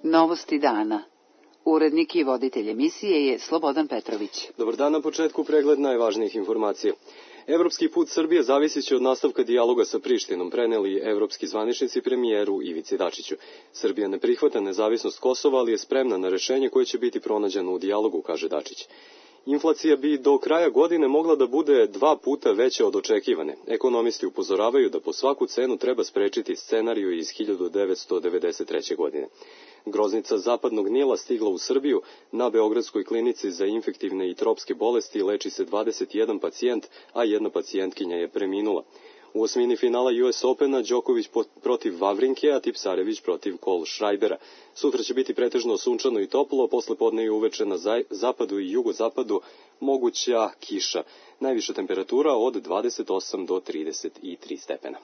Novosti dana. Urednik i voditelj emisije je Slobodan Petrović. Dobar dan, na početku pregled najvažnijih informacija. Evropski put Srbije zavisit će od nastavka dijaloga sa Prištinom, preneli evropski zvaničnici premijeru Ivici Dačiću. Srbija ne prihvata nezavisnost Kosova, ali je spremna na rešenje koje će biti pronađeno u dijalogu, kaže Dačić. Inflacija bi do kraja godine mogla da bude 2 puta veća od očekivane. Ekonomisti upozoravaju da po svaku cenu treba sprečiti scenariju iz 1993. godine. Groznica zapadnog Nila stigla u Srbiju. Na Beogradskoj klinici za infektivne i tropske bolesti leči se 21 pacijent, a jedna pacijentkinja je preminula. U osmini finala US Opena Đoković protiv Vavrinke, a Tipsarević protiv Kohlschreibera. Sutra će biti pretežno sunčano i toplo, posle podne i uveče na zapadu i jugozapadu moguća kiša. Najviša temperatura od 28 do 33 stepena.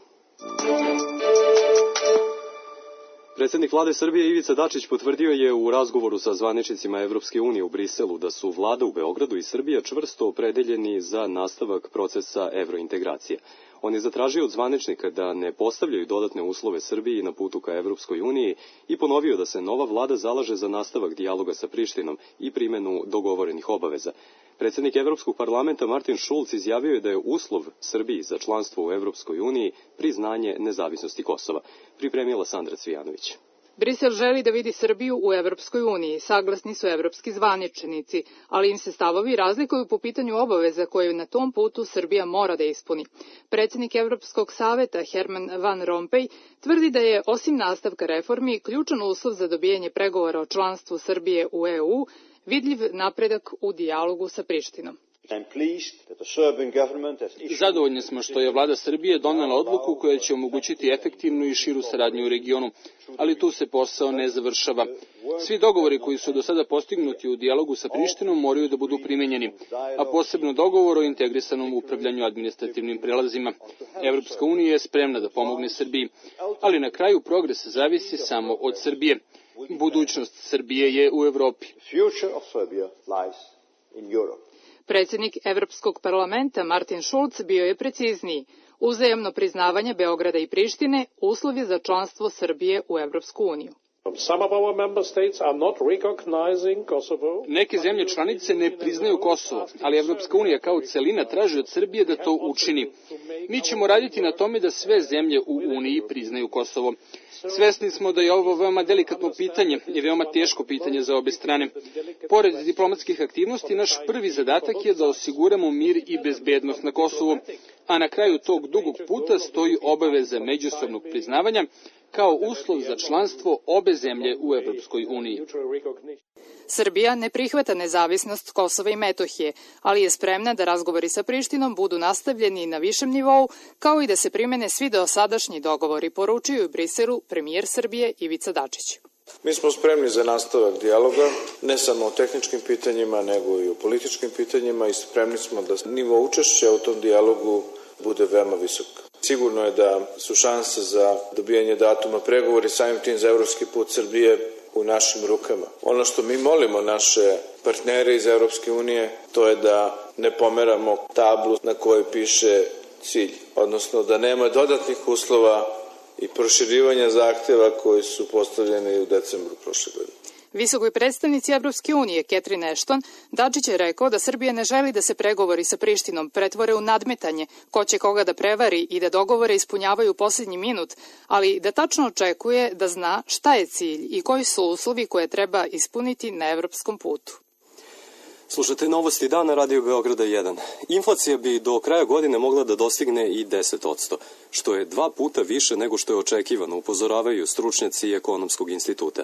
Predsjednik vlade Srbije Ivica Dačić potvrdio je u razgovoru sa zvaničnicima Evropske unije u Briselu da su vlada u Beogradu i Srbija čvrsto opredeljeni za nastavak procesa evrointegracije. On je zatražio od zvaničnika da ne postavljaju dodatne uslove Srbiji na putu ka Evropskoj uniji i ponovio da se nova vlada zalaže za nastavak dijaloga sa Prištinom i primenu dogovorenih obaveza. Predsjednik Evropskog parlamenta Martin Schulz izjavio je da je uslov Srbiji za članstvo u Evropskoj uniji priznanje nezavisnosti Kosova. Pripremila Sandra Cvijanović. Brisel želi da vidi Srbiju u Evropskoj uniji, saglasni su evropski zvaničnici, ali im se stavovi razlikuju po pitanju obaveza koje na tom putu Srbija mora da ispuni. Predsjednik Evropskog saveta Herman Van Rompuy tvrdi da je, osim nastavka reformi, ključan uslov za dobijanje pregovora o članstvu Srbije u EU vidljiv napredak u dijalogu sa Prištinom. Zadovoljni smo što je vlada Srbije donela odluku koja će omogućiti efektivnu i širu saradnju u regionu, ali tu se posao ne završava. Svi dogovori koji su do sada postignuti u dijalogu sa Prištinom moraju da budu primenjeni, a posebno dogovor o integrisanom upravljanju administrativnim prelazima. Evropska unija je spremna da pomogne Srbiji, ali na kraju progres zavisi samo od Srbije. Budućnost Srbije je u Evropi. Predsjednik Evropskog parlamenta Martin Schulz bio je precizniji. Uzajamno priznavanje Beograda i Prištine uslov je za članstvo Srbije u Evropsku uniju. Neke zemlje članice ne priznaju Kosovo, ali Evropska unija kao celina traži od Srbije da to učini. Mi ćemo raditi na tome da sve zemlje u Uniji priznaju Kosovo. Svesni smo da je ovo veoma delikatno pitanje i veoma teško pitanje za obe strane. Pored diplomatskih aktivnosti, naš prvi zadatak je da osiguramo mir i bezbednost na Kosovu, a na kraju tog dugog puta stoji obaveza međusobnog priznavanja kao uslov za članstvo obe zemlje u Evropskoj uniji. Srbija ne prihvata nezavisnost Kosova i Metohije, ali je spremna da razgovori sa Prištinom budu nastavljeni na višem nivou, kao i da se primene svi dosadašnji dogovori, poručuju u Briselu premijer Srbije Ivica Dačić. Mi smo spremni za nastavak dijaloga, ne samo o tehničkim pitanjima, nego i o političkim pitanjima i spremni smo da nivo učešća u tom dijalogu bude veoma visok. Sigurno je da su šanse za dobijanje datuma pregovori samim tim za evropski put Srbije u našim rukama. Ono što mi molimo naše partnere iz Evropske unije, to je da ne pomeramo tablu na kojoj piše cilj, odnosno da nema dodatnih uslova i proširivanja zahteva koji su postavljeni u decembru prošle godine. Visokoj predstavnici Evropske unije Catherine Ashton Dačić je rekao da Srbija ne želi da se pregovori sa Prištinom pretvore u nadmetanje ko će koga da prevari i da dogovore ispunjavaju u posljednji minut, ali da tačno očekuje da zna šta je cilj i koji su uslovi koje treba ispuniti na evropskom putu. Slušate Novosti dana Radio Beograda 1. Inflacija bi do kraja godine mogla da dostigne i 10%, što je 2 puta više nego što je očekivano, upozoravaju stručnjaci Ekonomskog instituta.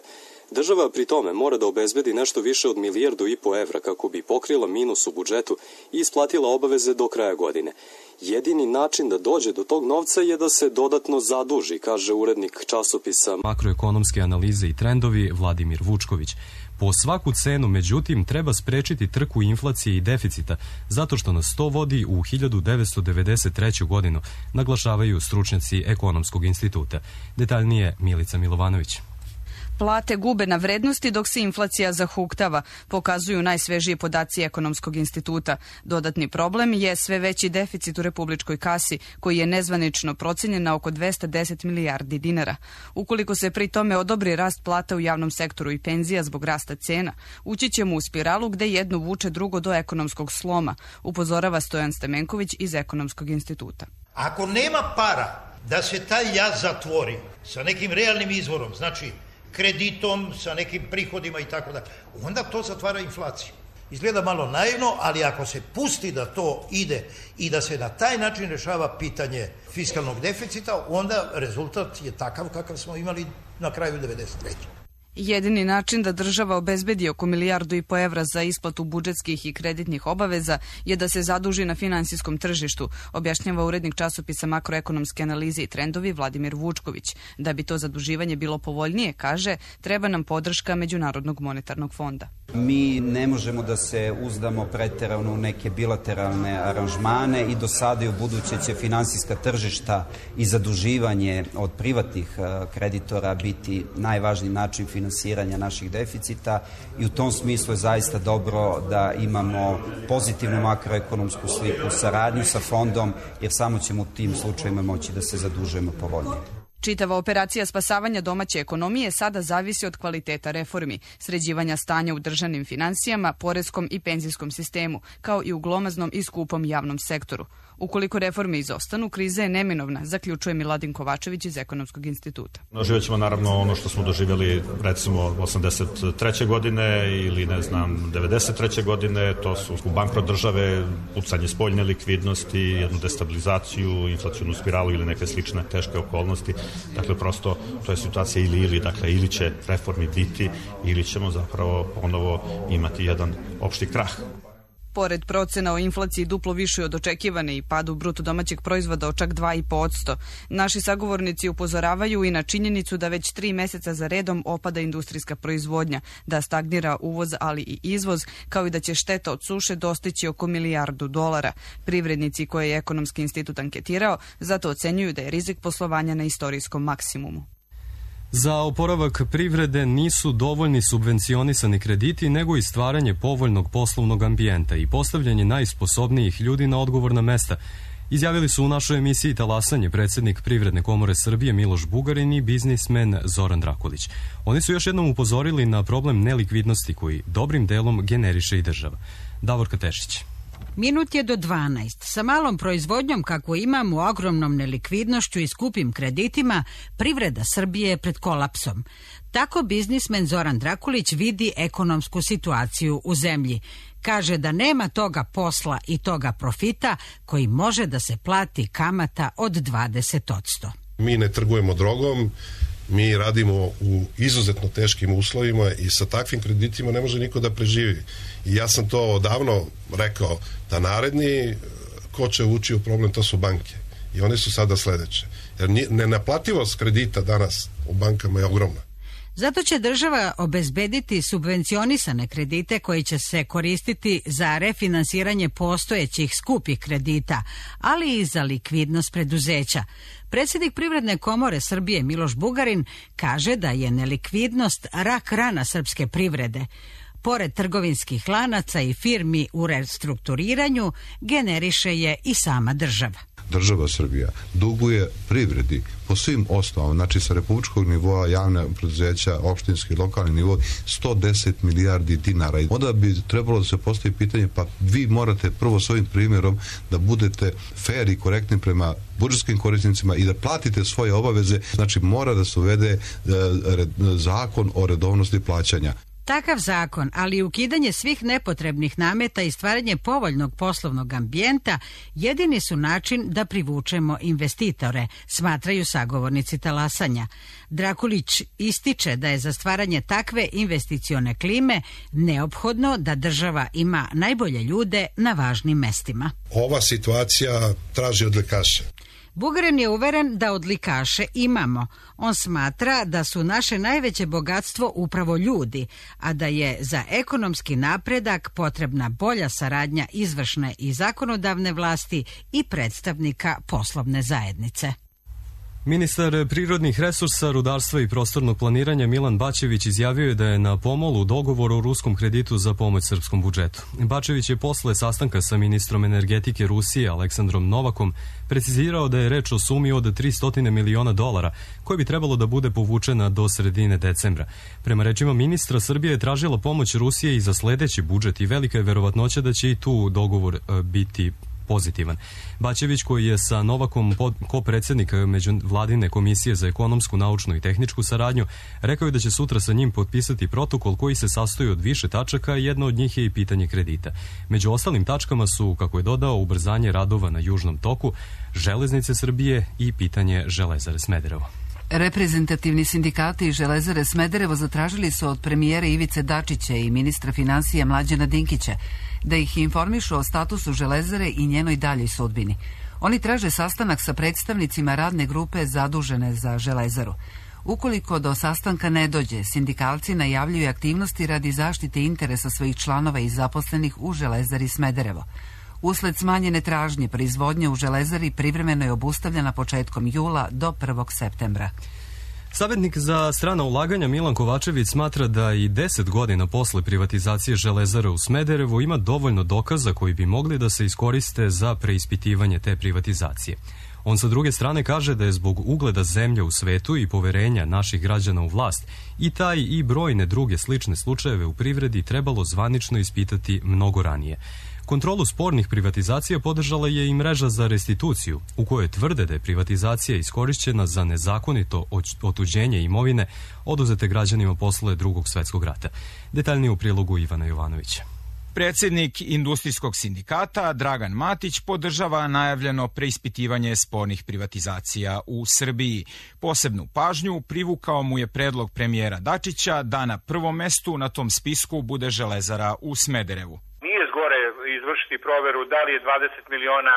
Država pri tome mora da obezbedi nešto više od 1,5 milijardu evra kako bi pokrila minus u budžetu i isplatila obaveze do kraja godine. Jedini način da dođe do tog novca je da se dodatno zaduži, kaže urednik časopisa Makroekonomske analize i trendovi Vladimir Vučković. Po svaku cenu, međutim, treba sprečiti trku inflacije i deficita, zato što nas to vodi u 1993. godinu, naglašavaju stručnjaci Ekonomskog instituta. Detaljnije Milica Milovanović. Plate gube na vrednosti dok se inflacija zahuktava, pokazuju najsvežiji podaci Ekonomskog instituta. Dodatni problem je sve veći deficit u republičkoj kasi, koji je nezvanično procenjen na oko 210 milijardi dinara. Ukoliko se pri tome odobri rast plata u javnom sektoru i penzija zbog rasta cena, ući ćemo u spiralu gde jedno vuče drugo do ekonomskog sloma, upozorava Stojan Stamenković iz Ekonomskog instituta. Ako nema para da se taj jaz zatvori sa nekim realnim izvorom, znači kreditom, sa nekim prihodima i tako da, onda to zatvara inflaciju. Izgleda malo naivno, ali ako se pusti da to ide i da se na taj način rešava pitanje fiskalnog deficita, onda rezultat je takav kakav smo imali na kraju 1993. Jedini način da država obezbedi oko 1,5 milijardu evra za isplatu budžetskih i kreditnih obaveza je da se zaduži na finansijskom tržištu, objašnjava urednik časopisa Makroekonomske analize i trendovi Vladimir Vučković. Da bi to zaduživanje bilo povoljnije, kaže, treba nam podrška Međunarodnog monetarnog fonda. Mi ne možemo da se uzdamo preterano u neke bilateralne aranžmane i do sada i u buduće će finansijska tržišta i zaduživanje od privatnih kreditora biti najvažniji način finansiranja naših deficita i u tom smislu je zaista dobro da imamo pozitivnu makroekonomsku sliku, saradnju sa fondom, jer samo ćemo u tim slučajima moći da se zadužujemo povoljnije. Čitava operacija spasavanja domaće ekonomije sada zavisi od kvaliteta reformi, sređivanja stanja u državnim finansijama, poreskom i penzijskom sistemu, kao i u glomaznom i skupom javnom sektoru. Ukoliko reforme izostanu, kriza je neminovna, zaključuje Miladin Kovačević iz Ekonomskog instituta. Doživjet ćemo naravno ono što smo doživjeli recimo 83. godine ili 93. godine, to su bankrot države, pucanje spoljne likvidnosti, jednu destabilizaciju, inflacionu spiralu ili neke slične teške okolnosti. Dakle, prosto to je situacija ili, dakle, ili će reformi biti ili ćemo zapravo ponovo imati jedan opšti krah. Pored procena o inflaciji duplo više od očekivane i padu bruto domaćeg proizvoda od čak 2,5%, naši sagovornici upozoravaju i na činjenicu da već 3 meseca za redom opada industrijska proizvodnja, da stagnira uvoz, ali i izvoz, kao i da će šteta od suše dostići oko $1 milijardu. Privrednici koje je Ekonomski institut anketirao zato ocenjuju da je rizik poslovanja na istorijskom maksimumu. Za oporavak privrede nisu dovoljni subvencionisani krediti, nego i stvaranje povoljnog poslovnog ambijenta i postavljanje najsposobnijih ljudi na odgovorna mesta, izjavili su u našoj emisiji Talasanje predsjednik Privredne komore Srbije Miloš Bugarin i biznismen Zoran Drakulić. Oni su još jednom upozorili na problem nelikvidnosti koji dobrim delom generiše i država. Davorka Tešić. Minut je do 12. Sa malom proizvodnjom kako imamo, ogromnom nelikvidnošću i skupim kreditima, privreda Srbije je pred kolapsom. Tako biznismen Zoran Drakulić vidi ekonomsku situaciju u zemlji. Kaže da nema toga posla i toga profita koji može da se plati kamata od 20%. Mi ne trgujemo drogom, mi radimo u izuzetno teškim uslovima i sa takvim kreditima ne može niko da preživi. I ja sam to odavno rekao da naredni ko će ući u problem, to su banke. I one su sada sledeće. Jer nenaplativost kredita danas u bankama je ogromna. Zato će država obezbediti subvencionisane kredite koji će se koristiti za refinansiranje postojećih skupih kredita, ali i za likvidnost preduzeća. Predsjednik Privredne komore Srbije Miloš Bugarin kaže da je nelikvidnost rak rana srpske privrede. Pored trgovinskih lanaca i firmi u restrukturiranju, generiše je i sama država. Država Srbija duguje privredi po svim osnovama, znači sa republičkog nivoa, javne preduzeća, opštinski, lokalni nivo, 110 milijardi dinara. Onda bi trebalo da se postavi pitanje, pa vi morate prvo svojim primjerom da budete fair i korektni prema budžetskim korisnicima i da platite svoje obaveze, znači mora da se uvede zakon o redovnosti plaćanja. Takav zakon, ali i ukidanje svih nepotrebnih nameta i stvaranje povoljnog poslovnog ambijenta jedini su način da privučemo investitore, smatraju sagovornici Talasanja. Drakulić ističe da je za stvaranje takve investicione klime neophodno da država ima najbolje ljude na važnim mestima. Ova situacija traži odlikaše. Bugarin je uveren da odlikaše imamo. On smatra da su naše najveće bogatstvo upravo ljudi, a da je za ekonomski napredak potrebna bolja saradnja izvršne i zakonodavne vlasti i predstavnika poslovne zajednice. Ministar prirodnih resursa, rudarstva i prostornog planiranja Milan Bačević izjavio je da je na pomolu dogovor o ruskom kreditu za pomoć srpskom budžetu. Bačević je posle sastanka sa ministrom energetike Rusije Aleksandrom Novakom precizirao da je reč o sumi od $300 miliona koja bi trebalo da bude povučena do sredine decembra. Prema rečima ministra, Srbija je tražila pomoć Rusije i za sledeći budžet i velika je verovatnoća da će i tu dogovor biti pozitivan. Bačević, koji je sa Novakom ko-predsednik Međuvladine komisije za ekonomsku, naučnu i tehničku saradnju, rekao je da će sutra sa njim potpisati protokol koji se sastoji od više tačaka, jedna od njih je i pitanje kredita. Među ostalim tačkama su, kako je dodao, ubrzanje radova na Južnom toku, Železnice Srbije i pitanje Železare Smederevo. Reprezentativni sindikati Železare Smederevo zatražili su od premijera Ivice Dačića i ministra finansija Mlađana Dinkića da ih informišu o statusu Železare i njenoj daljoj sudbini. Oni traže sastanak sa predstavnicima radne grupe zadužene za Železaru. Ukoliko do sastanka ne dođe, sindikalci najavljuju aktivnosti radi zaštite interesa svojih članova i zaposlenih u Železari Smederevo. Usled smanjene tražnje, proizvodnja u Železari privremeno je obustavljena početkom jula do 1. septembra. Savetnik za strana ulaganja Milan Kovačević smatra da i 10 godina posle privatizacije Železare u Smederevu ima dovoljno dokaza koji bi mogli da se iskoriste za preispitivanje te privatizacije. On sa druge strane kaže da je zbog ugleda zemlje u svetu i poverenja naših građana u vlast i taj i brojne druge slične slučajeve u privredi trebalo zvanično ispitati mnogo ranije. Kontrolu spornih privatizacija podržala je i mreža za restituciju, u kojoj tvrde da je privatizacija iskorišćena za nezakonito otuđenje imovine oduzete građanima posle Drugog svetskog rata. Detaljnije u prilogu Ivana Jovanovića. Predsednik Industrijskog sindikata Dragan Matić podržava najavljeno preispitivanje spornih privatizacija u Srbiji. Posebnu pažnju privukao mu je predlog premijera Dačića da na prvom mestu na tom spisku bude Železara u Smederevu. Izvršiti proveru da li je $20 miliona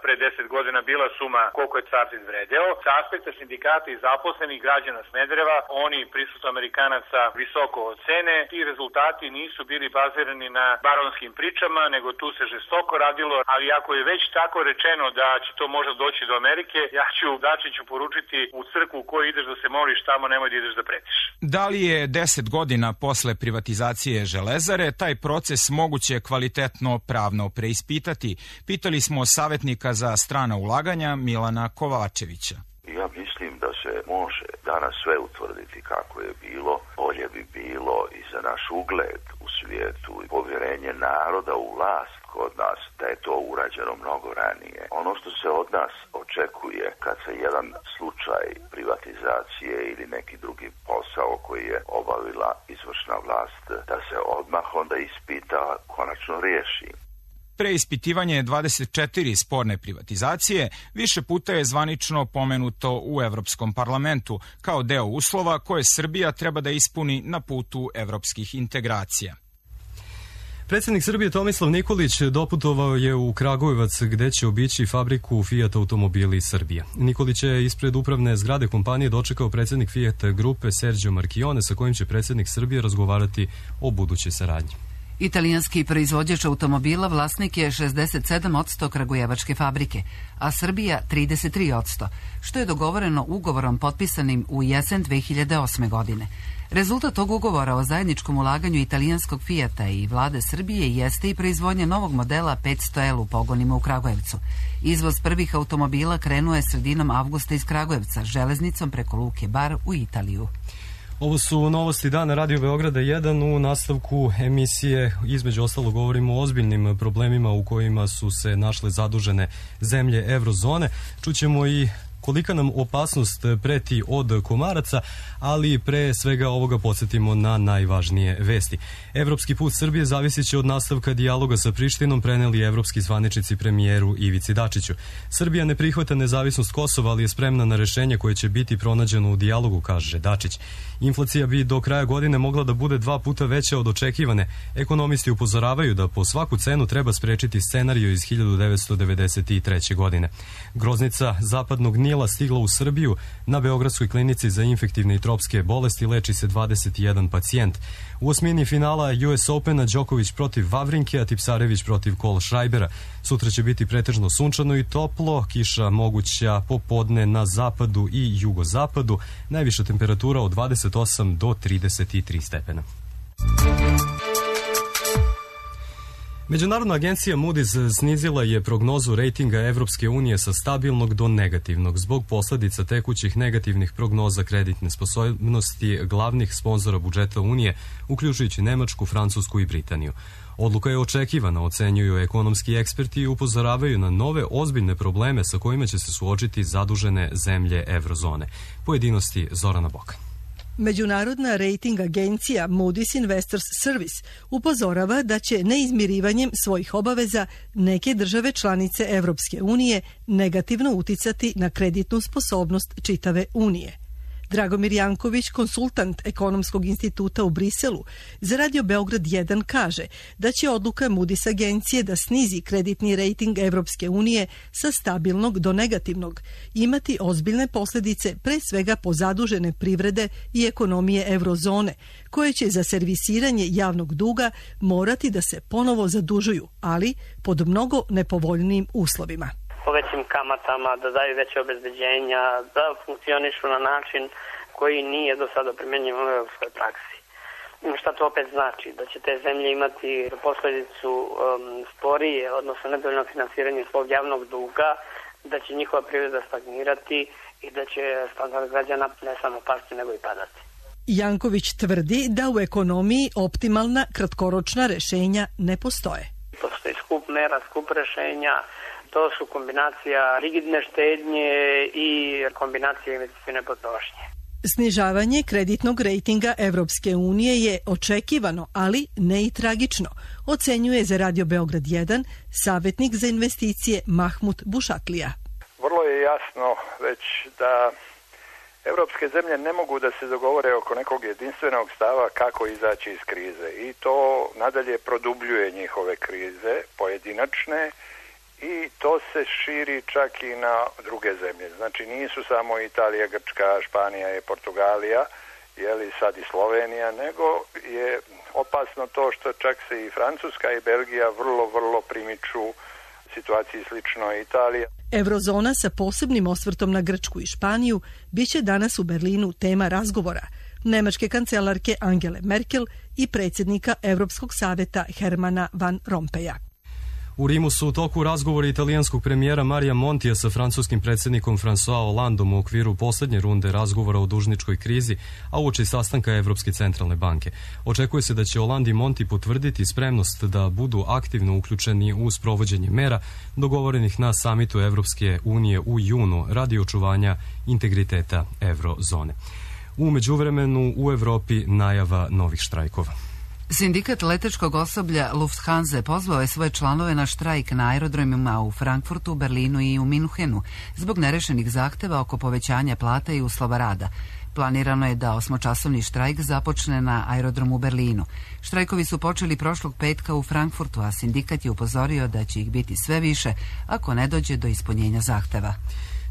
pre 10 godina bila suma koliko je Sartid vredeo. Sa aspekta sindikata i zaposlenih građana Smedereva, oni prisustvo Amerikanaca visoko ocene. Ti rezultati nisu bili bazirani na baronskim pričama, nego tu se žestoko radilo, ali ako je već tako rečeno da će to možda doći do Amerike, ja ću Dačiću poručiti u crkvu u kojoj ideš da se moliš, tamo nemoj da ideš da pretiš. Da li je 10 godina posle privatizacije Železare taj proces moguće kvalitetno pravno preispitati? Pitali smo savetnika za strana ulaganja Milana Kovačevića. Ja mislim da se može danas sve utvrditi kako je bilo. Bolje bi bilo i za naš ugled u svijetu i povjerenje naroda u vlast kod nas da je to urađeno mnogo ranije. Ono što se od nas očekuje kad se jedan slučaj privatizacije ili neki drugi posao koji je obavila izvršna vlast, da se odmah onda ispita, konačno riješi. Preispitivanje 24 sporne privatizacije više puta je zvanično pomenuto u Evropskom parlamentu kao deo uslova koje Srbija treba da ispuni na putu evropskih integracija. Predsjednik Srbije Tomislav Nikolić doputovao je u Kragujevac gde će obići fabriku Fiat automobili Srbije. Nikolić je ispred upravne zgrade kompanije dočekao predsjednik Fiat grupe Sergio Marchione sa kojim će predsjednik Srbije razgovarati o budućoj saradnji. Italijanski proizvođač automobila vlasnik je 67% kragujevačke fabrike, a Srbija 33%, što je dogovoreno ugovorom potpisanim u jesen 2008. godine. Rezultat tog ugovora o zajedničkom ulaganju italijanskog Fijata i vlade Srbije jeste i proizvodnja novog modela 500L u pogonima u Kragujevcu. Izvoz prvih automobila krenuo je sredinom avgusta iz Kragujevca, železnicom preko Luke Bar u Italiju. Ovo su novosti dana Radio Beograda 1. U nastavku emisije između ostalo govorimo o ozbiljnim problemima u kojima su se našle zadužene zemlje eurozone. Čućemo i kolika nam opasnost preti od komaraca, ali pre svega ovoga podsjetimo na najvažnije vesti. Evropski put Srbije zavisit će od nastavka dijaloga sa Prištinom, preneli evropski zvaničnici premijeru Ivici Dačiću. Srbija ne prihvata nezavisnost Kosova, ali je spremna na rešenje koje će biti pronađeno u dijalogu, kaže Dačić. Inflacija bi do kraja godine mogla da bude 2 puta veća od očekivane. Ekonomisti upozoravaju da po svaku cenu treba sprečiti scenariju iz 1993. godine. Groznica zapadnog Nila Daniela stigla u Srbiju. Na Beogradskoj klinici za infektivne i tropske bolesti leči se 21 pacijent. U osmini finala US Opena Đoković protiv Vavrinke, a Tipsarević protiv Kohlschreibera. Sutra će biti pretežno sunčano i toplo, kiša moguća popodne na zapadu i jugozapadu, najviša temperatura od 28 do 33 stepena. Međunarodna agencija Moody's snizila je prognozu rejtinga Evropske unije sa stabilnog do negativnog zbog posledica tekućih negativnih prognoza kreditne sposobnosti glavnih sponzora budžeta Unije, uključujući Nemačku, Francusku i Britaniju. Odluka je očekivana, ocenjuju ekonomski eksperti i upozoravaju na nove ozbiljne probleme sa kojima će se suočiti zadužene zemlje evrozone. Pojedinosti Zorana Boka. Međunarodna rejting agencija Moody's Investors Service upozorava da će neizmirivanjem svojih obaveza neke države članice Evropske unije negativno uticati na kreditnu sposobnost čitave Unije. Dragomir Janković, konsultant Ekonomskog instituta u Briselu, za Radio Beograd 1 kaže da će odluka Moody's agencije da snizi kreditni rejting Evropske unije sa stabilnog do negativnog imati ozbiljne posljedice pre svega po zadužene privrede i ekonomije eurozone, koje će za servisiranje javnog duga morati da se ponovo zadužuju, ali pod mnogo nepovoljnijim uslovima. Po većim kamatama, da daju veće obezbeđenja, da funkcionišu na način koji nije do sada primenjiv u evropskoj praksi. Šta to opet znači? Da će te zemlje imati posledicu sporije, odnosno nedovoljno finansiranje svog javnog duga, da će njihova privreda stagnirati i da će standard građana ne samo pasti, nego i padati. Janković tvrdi da u ekonomiji optimalna kratkoročna rešenja ne postoje. Postoji skup mera, skup rešenja. To su kombinacija rigidne štednje i kombinacija investicione potrošnje. Snižavanje kreditnog rejtinga Evropske unije je očekivano, ali ne i tragično, ocenjuje za Radio Beograd 1 savjetnik za investicije Mahmut Bušatlija. Vrlo je jasno već da evropske zemlje ne mogu da se dogovore oko nekog jedinstvenog stava kako izaći iz krize i to nadalje produbljuje njihove krize pojedinačne. I to se širi čak i na druge zemlje. Znači nisu samo Italija, Grčka, Španija i Portugalija, jeli sad i Slovenija, nego je opasno to što čak se i Francuska i Belgija vrlo primiču situaciji slično Italija. Eurozona sa posebnim osvrtom na Grčku i Španiju biće danas u Berlinu tema razgovora nemačke kancelarke Angele Merkel i predsjednika Europskog savjeta Hermana Van Rompuya. U Rimu su u toku razgovori italijanskog premijera Marija Montija sa francuskim predsjednikom François Hollandom u okviru posljednje runde razgovora o dužničkoj krizi, a uoči sastanka Evropske centralne banke. Očekuje se da će Hollande i Monti potvrditi spremnost da budu aktivno uključeni u sprovođenje mera dogovorenih na samitu Evropske unije u junu radi očuvanja integriteta eurozone. U međuvremenu u Evropi najava novih štrajkova. Sindikat letečkog osoblja Lufthansa pozvao je svoje članove na štrajk na aerodromima u Frankfurtu, Berlinu i u Minhenu zbog nerešenih zahteva oko povećanja plata i uslova rada. Planirano je da 8-časovni štrajk započne na aerodromu u Berlinu. Štrajkovi su počeli prošlog petka u Frankfurtu, a sindikat je upozorio da će ih biti sve više ako ne dođe do ispunjenja zahteva.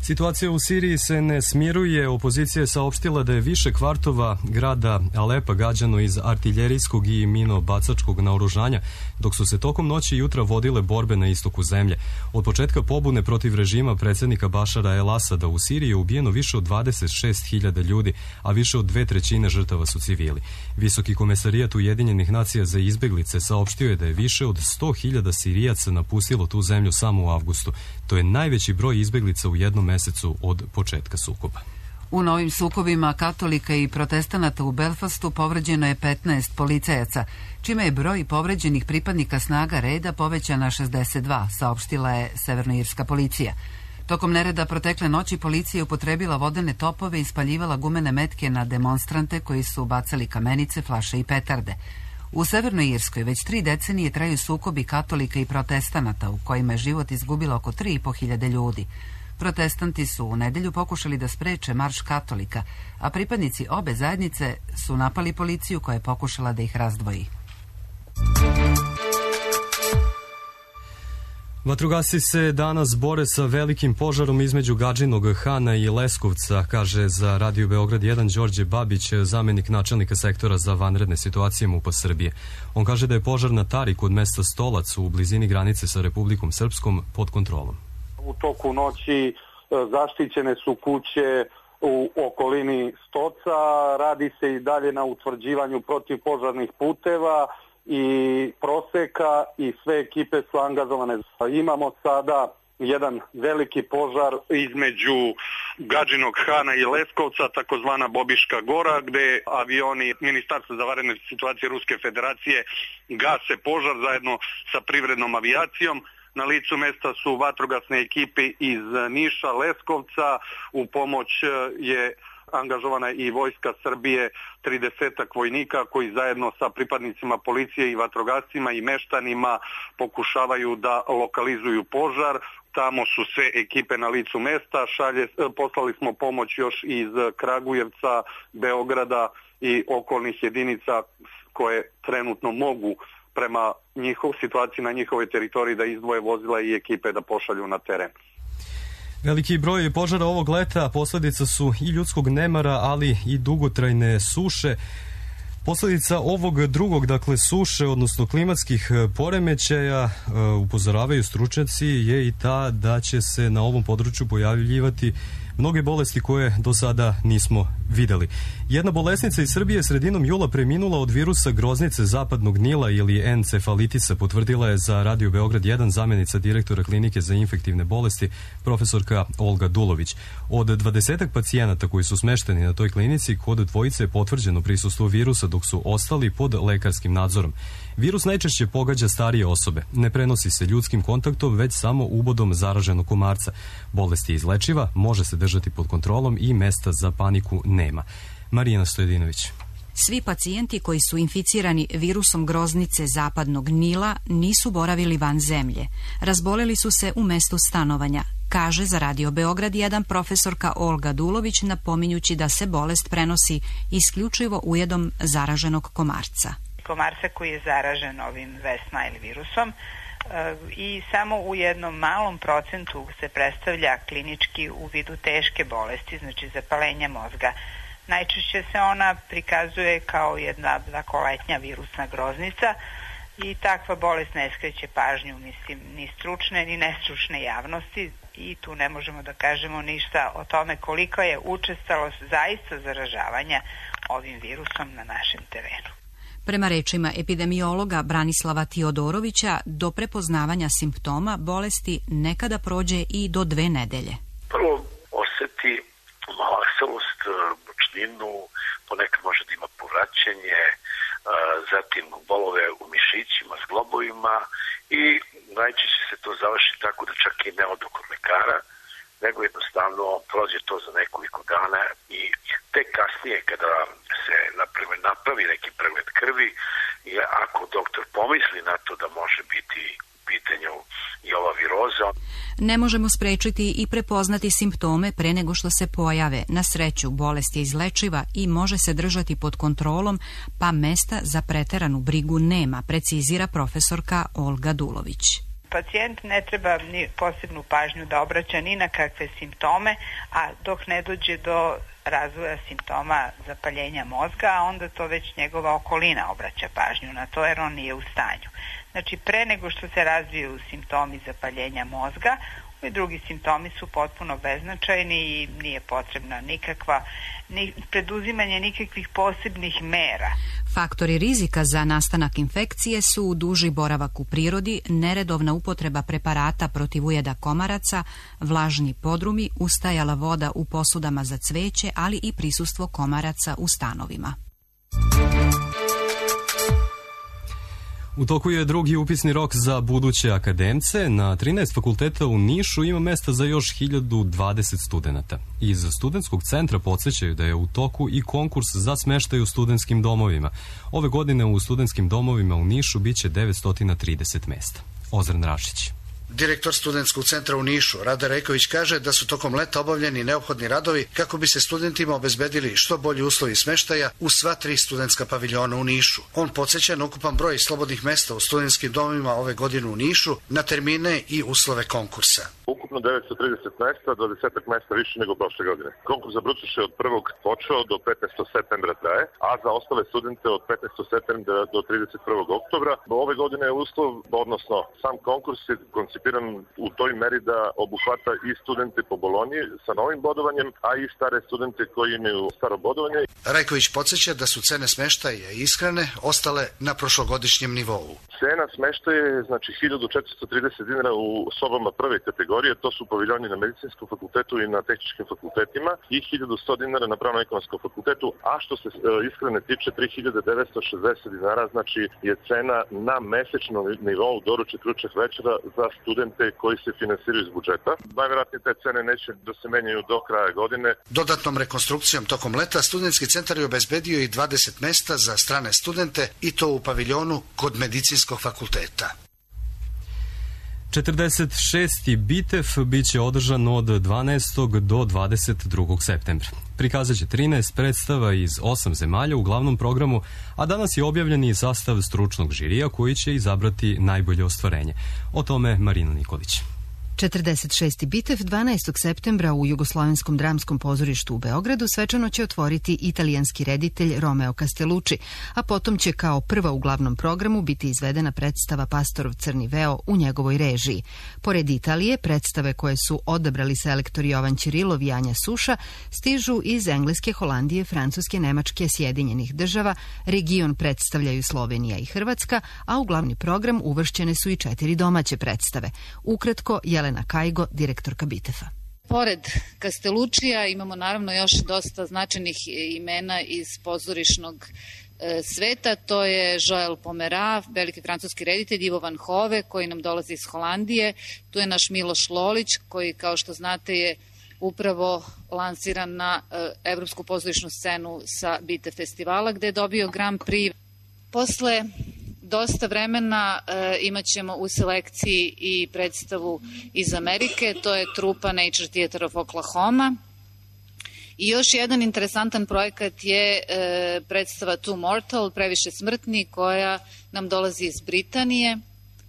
Situacija u Siriji se ne smiruje. Opozicija je saopštila da je više kvartova grada Alepa gađano iz artiljerijskog i minobacačkog naoružanja, dok su se tokom noći i jutra vodile borbe na istoku zemlje. Od početka pobune protiv režima predsjednika Bašara el-Asada u Siriji je ubijeno više od 26.000 ljudi, a više od 2/3 žrtava su civili. Visoki komesarijat Ujedinjenih nacija za izbjeglice saopštio je da je više od 100.000 Sirijaca napustilo tu zemlju samo u avgustu. To je najveći broj izbjeglica u jednom mesecu od početka sukoba. U novim sukobima katolika i protestanata u Belfastu povređeno je 15 policajaca, čime je broj povređenih pripadnika snaga reda povećan na 62, saopštila je severnoirska policija. Tokom nereda protekle noći policija je upotrebila vodene topove i spaljivala gumene metke na demonstrante koji su bacali kamenice, flaše i petarde. U Severnoj Irskoj već 3 decenije traju sukobi katolika i protestanata u kojima je život izgubilo oko 3.500 ljudi. Protestanti su u nedelju pokušali da spreče marš katolika, a pripadnici obe zajednice su napali policiju koja je pokušala da ih razdvoji. Vatrogasci se danas bore sa velikim požarom između Gadžinog Hana i Leskovca, kaže za Radio Beograd 1 Đorđe Babić, zamenik načelnika sektora za vanredne situacije MUP-a Srbije. On kaže da je požar na Tari kod mesta Stolac u blizini granice sa Republikom Srpskom pod kontrolom. U toku noći zaštićene su kuće u okolini Stoca, radi se i dalje na utvrđivanju protivpožarnih puteva i proseka i sve ekipe su angažovane. Imamo sada jedan veliki požar između Gadžinog Hana i Leskovca, takozvana Bobiška gora, gde avioni Ministarstva za vanredne situacije Ruske federacije gase požar zajedno sa privrednom avijacijom. Na licu mesta su vatrogasne ekipe iz Niša, Leskovca, u pomoć je angažovana i Vojska Srbije, 30 vojnika koji zajedno sa pripadnicima policije i vatrogascima i meštanima pokušavaju da lokalizuju požar. Tamo su sve ekipe na licu mesta, poslali smo pomoć još iz Kragujevca, Beograda i okolnih jedinica koje trenutno mogu prema situaciji na njihovoj teritoriji da izdvoje vozila i ekipe da pošalju na teren. Veliki broj požara ovog leta posledica su i ljudskog nemara, ali i dugotrajne suše. Posledica ovog drugog, dakle suše, odnosno klimatskih poremećaja, upozoravaju stručnjaci, je i ta da će se na ovom području pojavljivati mnoge bolesti koje do sada nismo videli. Jedna bolesnica iz Srbije sredinom jula preminula od virusa groznice zapadnog Nila ili encefalitisa, potvrdila je za Radio Beograd 1 zamenica direktora klinike za infektivne bolesti profesorka Olga Dulović. Od 20 pacijenata koji su smešteni na toj klinici, kod dvojice je potvrđeno prisustvo virusa, dok su ostali pod lekarskim nadzorom. Virus najčešće pogađa starije osobe. Ne prenosi se ljudskim kontaktom, već samo ubodom zaraženog komarca. Bolest je izlečiva, može se držati pod kontrolom i mesta za paniku nema. Marijana Stojedinović. Svi pacijenti koji su inficirani virusom groznice zapadnog Nila nisu boravili van zemlje. Razboleli su se u mestu stanovanja, kaže za Radio Beograd 1 profesorka Olga Dulović, napominjući da se bolest prenosi isključivo ujedom zaraženog komarca. Komarca koji je zaražen ovim West Nile virusom i samo u jednom malom procentu se predstavlja klinički u vidu teške bolesti, znači zapalenja mozga. Najčešće se ona prikazuje kao jedna letnja virusna groznica i takva bolest ne skreće pažnju, ni stručne ni nestručne javnosti i tu ne možemo da kažemo ništa o tome koliko je učestalost zaista zaražavanja ovim virusom na našem terenu. Prema rečima epidemiologa Branislava Tiodorovića, do prepoznavanja simptoma bolesti nekada prođe i do 2 nedelje. Prvo osjeti malaksalost, mučninu, ponekad može da ima povraćanje, zatim bolove u mišićima, zglobovima i najčešće se to završi tako da čak i ne odu kod lekara, nego jednostavno prođe to za nekoliko dana i tek kasnije kada se napravi neki pregled krvi i ako doktor pomisli na to da može biti u pitanju i ova viroza. Ne možemo sprečiti i prepoznati simptome pre nego što se pojave. Na sreću, bolest je izlečiva i može se držati pod kontrolom, pa mesta za preteranu brigu nema, precizira profesorka Olga Dulović. Pacijent ne treba ni posebnu pažnju da obraća ni na kakve simptome, a dok ne dođe do razvoja simptoma zapaljenja mozga, a onda to već njegova okolina obraća pažnju na to jer on nije u stanju. Znači, pre nego što se razviju simptomi zapaljenja mozga, i drugi simptomi su potpuno beznačajni i nije potrebna preduzimanje nikakvih posebnih mera. Faktori rizika za nastanak infekcije su duži boravak u prirodi, neredovna upotreba preparata protiv ujeda komaraca, vlažni podrumi, ustajala voda u posudama za cveće, ali i prisustvo komaraca u stanovima. U toku je drugi upisni rok za buduće akademce. Na 13 fakulteta u Nišu ima mesta za još 1020 studenata. Iz studentskog centra podsjećaju da je u toku i konkurs za smeštaj u studentskim domovima. Ove godine u studentskim domovima u Nišu biće 930 mesta. Ozren Rašić. Direktor studentskog centra u Nišu, Rade Rejković, kaže da su tokom leta obavljeni neophodni radovi kako bi se studentima obezbedili što bolji uslovi smeštaja u sva 3 studentska paviljona u Nišu. On podsjeća na ukupan broj slobodnih mesta u studentskim domovima ove godine u Nišu, na termine i uslove konkursa. Ukupno 930 mesta, 20 mesta više nego prošle godine. Konkurs za brucoše od 1. počeo do 15. septembra traje, a za ostale studente od 15. septembra do 31. oktobra. Ove godine je uslov, odnosno sam konkurs je koncipiran u toj meri da obuhvata i studente po Bolonji sa novim bodovanjem, a i stare studente koji imaju staro bodovanje. Rajković podsjeća da su cene smeštaja i ishrane ostale na prošlogodišnjem nivou. Cena smeštaja je 1430 dinara u sobama prve kategorije, to su paviljoni na medicinskom fakultetu i na tehničkim fakultetima, i 1100 dinara na pravno-ekonomskom fakultetu, a što se ishrane tiče 3960 dinara, znači je cena na mesečnom nivou doručak, ručak, večera za studente koji se finansiraju iz budžeta. Najvjerojatnije te cene neće da se menjaju do kraja godine. Dodatnom rekonstrukcijom tokom leta studentski centar je obezbedio i 20 mesta za strane studente, i to u paviljonu kod medicinskog fakulteta. 46. Bitev biće održan od 12. do 22. septembra. Prikazat će 13 predstava iz 8 zemalja u glavnom programu, a danas je objavljen i sastav stručnog žirija koji će izabrati najbolje ostvarenje. O tome Marina Nikolić. 46. Bitev 12. septembra u Jugoslovenskom dramskom pozorištu u Beogradu svečano će otvoriti italijanski reditelj Romeo Castellucci, a potom će kao prva u glavnom programu biti izvedena predstava Pastorov crni veo u njegovoj režiji. Pored Italije, predstave koje su odabrali selektor Jovan Ćirilov i Anja Suša stižu iz Engleske, Holandije, Francuske, Nemačke, Sjedinjenih država, region predstavljaju Slovenija i Hrvatska, a u glavni program uvršćene su i 4 domaće predstave. Ukratko, Jelena Kajgo, direktorka Bitefa. Pored Castelluccija imamo naravno još dosta značajnih imena iz pozorišnog sveta. To je Joël Pomera, veliki francuski reditelj, Ivo Van Hove koji nam dolazi iz Holandije. Tu je naš Miloš Lolić koji, kao što znate, je upravo lansiran na evropsku pozorišnu scenu sa Bitev festivala gde je dobio Grand Prix. Posle dosta vremena imat ćemo u selekciji i predstavu iz Amerike, to je trupa Nature Theater of Oklahoma. I još jedan interesantan projekat je predstava Too Mortal, Previše smrtni, koja nam dolazi iz Britanije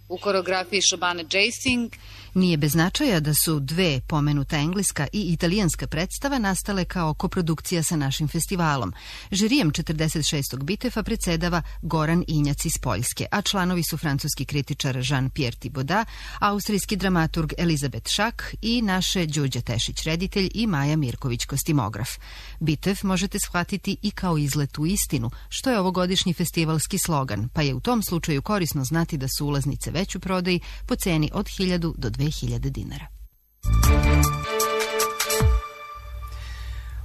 u koreografiji Shobane Jasing. Nije bez značaja da su 2 pomenuta engleska i italijanska predstava nastale kao koprodukcija sa našim festivalom. Žirijem 46. Bitefa predsedava Goran Injac iz Poljske, a članovi su francuski kritičar Jean-Pierre Thibaudat, austrijski dramaturg Elizabeth Šak i naše Đurđa Tešić reditelj i Maja Mirković kostimograf. Bitev možete shvatiti i kao izlet u istinu, što je ovogodišnji festivalski slogan, pa je u tom slučaju korisno znati da su ulaznice već u prodaji po ceni od 1000 do 2000 dinara.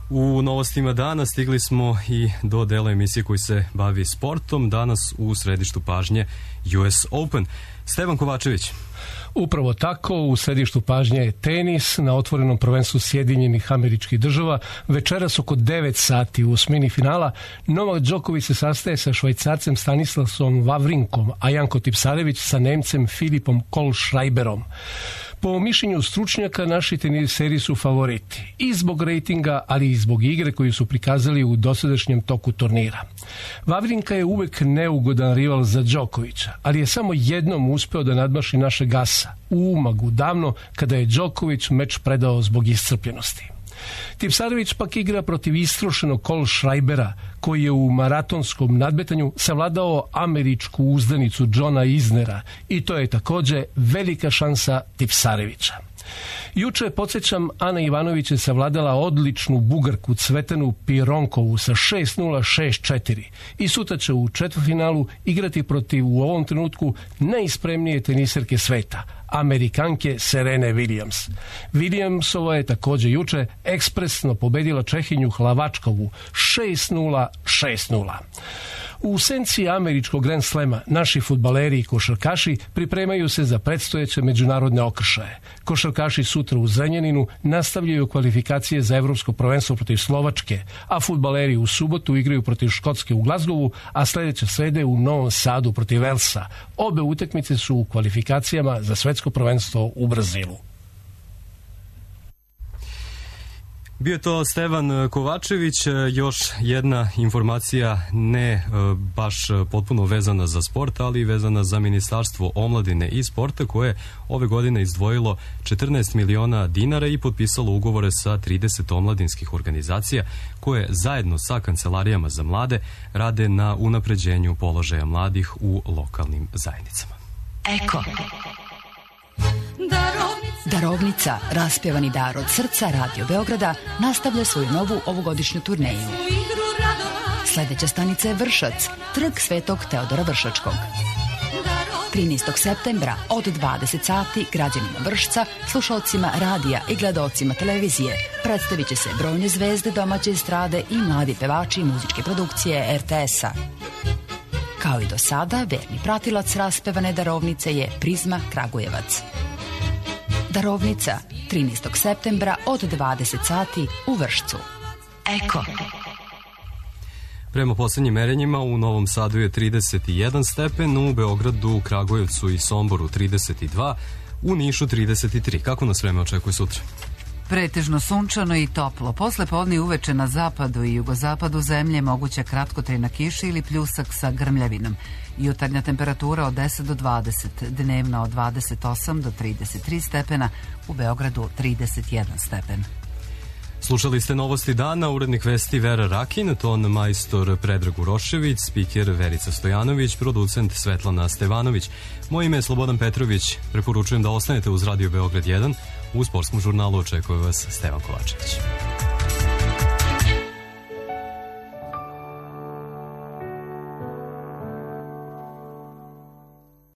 U novostima dana stigli smo i do dela emisije koji se bavi sportom. Danas u središtu pažnje US Open. Stevan Kovačević. Upravo tako, u središtu pažnje je tenis na otvorenom prvenstvu Sjedinjenih Američkih Država. Večeras oko 9 sati u osmini finala Novak Đoković se sastaje sa Švajcarcem Stanislasom Wawrinkom, a Janko Tipsarević sa Nemcem Filipom Kohlschreiberom. Po mišljenju stručnjaka, naši teniseri su favoriti i zbog rejtinga, ali i zbog igre koju su prikazali u dosadašnjem toku turnira. Wawrinka je uvek neugodan rival za Đokovića, ali je samo jednom uspeo da nadmaši našeg asa u Umagu, davno kada je Đoković meč predao zbog iscrpljenosti. Tipsarević pak igra protiv istrošenog Kohlschreibera, koji je u maratonskom nadmetanju savladao američku uzdanicu Johna Isnera, i to je takođe velika šansa Tipsarevića. Juče, podsjećam, Ana Ivanović je savladala odličnu Bugarku Cvetanu Pironkovu sa 6-0, 6-4 i sutra će u četvrtfinalu igrati protiv u ovom trenutku najspremnije teniserke sveta, Amerikanke Serene Williams. Williamsova je takođe juče ekspresno pobedila Čehinju Hlavačkovu 6-0, 6-0. U senci američkog Grand Slema naši fudbaleri i košarkaši pripremaju se za predstojeće međunarodne okršaje. Košarkaši sutra u Zrenjaninu nastavljaju kvalifikacije za evropsko prvenstvo protiv Slovačke, a fudbaleri u subotu igraju protiv Škotske u Glazgovu, a sledeće srede u Novom Sadu protiv Velsa. Obe utakmice su u kvalifikacijama za svetsko prvenstvo u Brazilu. Bio je to Stevan Kovačević. Još jedna informacija, ne baš potpuno vezana za sport, ali vezana za Ministarstvo omladine i sporta, koje je ove godine izdvojilo 14 miliona dinara i potpisalo ugovore sa 30 omladinskih organizacija koje zajedno sa kancelarijama za mlade rade na unapređenju položaja mladih u lokalnim zajednicama. Eko. Darovnica, raspjevani dar od srca Radio Beograda, nastavlja svoju novu ovogodišnju turneju. Sledeća stanica je Vršac, trg Svetog Teodora Vršačkog. 13. septembra od 20 sati građanima Vršca, slušalcima radija i gledaocima televizije predstavit će se brojne zvezde domaće estrade i mladi pevači i muzičke produkcije RTS-a. Kao i do sada, verni pratilac raspevane darovnice je Prizma Kragujevac. Darovnica, 13. septembra od 20 sati u Vršcu. Eko. Prema poslednjim merenjima u Novom Sadu je 31 stepen, u Beogradu, Kragujevcu i Somboru 32, u Nišu 33. Kako nas vreme očekuje sutra? Pretežno sunčano i toplo. Posle podne uveče na zapadu i jugozapadu zemlje moguća kratkotrajna kiša ili pljusak sa grmljavinom. Jutarnja temperatura od 10 do 20, dnevna od 28 do 33 stepena, u Beogradu 31 stepen. Slušali ste novosti dana, urednik vesti Vera Rakin, ton majstor Predrag Urošević, spiker Verica Stojanović, producent Svetlana Stevanović. Moje ime je Slobodan Petrović. Preporučujem da ostanete uz Radio Beograd 1. U sportskom žurnalu očekuje vas Stevan Kovačević.